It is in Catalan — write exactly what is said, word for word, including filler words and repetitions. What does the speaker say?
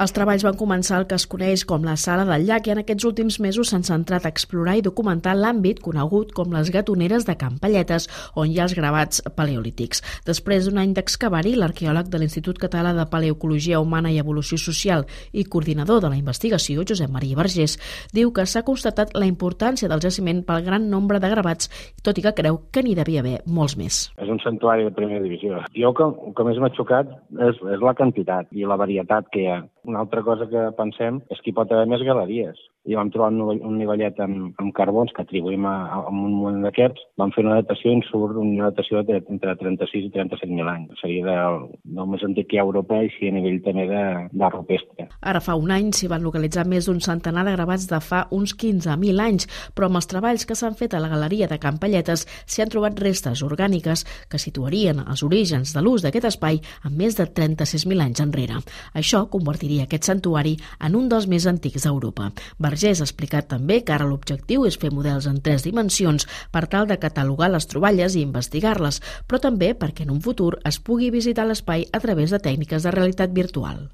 Els treballs van començar al que es coneix com la Sala del Llac i en aquests últims mesos s'han centrat a explorar i documentar l'àmbit conegut com les gatoneres de Can Palletes, on hi ha els gravats paleolítics. Després d'un any d'excavar-hi, l'arqueòleg de l'Institut Català de Paleoecologia Humana i Evolució Social i coordinador de la investigació, Josep Maria Vergés, diu que s'ha constatat la importància del jaciment pel gran nombre de gravats, tot i que creu que n'hi devia haver molts més. És un santuari de primera divisió. Jo que, el que més m'ha xocat és, és la quantitat i la varietat que hi ha. Una altra cosa que pensem és que hi pot haver més galeries. I vam trobar un nivellet amb, amb carbons que atribuïm a, a un moment d'aquests. Vam fer una datació i ens surt una datació de, entre trenta-sis i trenta-set mil anys. Seria del, del més antic que hi ha a Europa i sí a nivell també d'art rupestre. Ara fa un any s'hi van localitzar més d'un centenar de gravats de fa uns quinze mil anys, però amb els treballs que s'han fet a la galeria de Can Palletes s'hi han trobat restes orgàniques que situarien els orígens de l'ús d'aquest espai amb més de trenta-sis mil anys enrere. Això convertiria aquest santuari en un dels més antics d'Europa. Vergés ha explicat també que ara l'objectiu és fer models en tres dimensions per tal de catalogar les troballes i investigar-les, però també perquè en un futur es pugui visitar l'espai a través de tècniques de realitat virtual.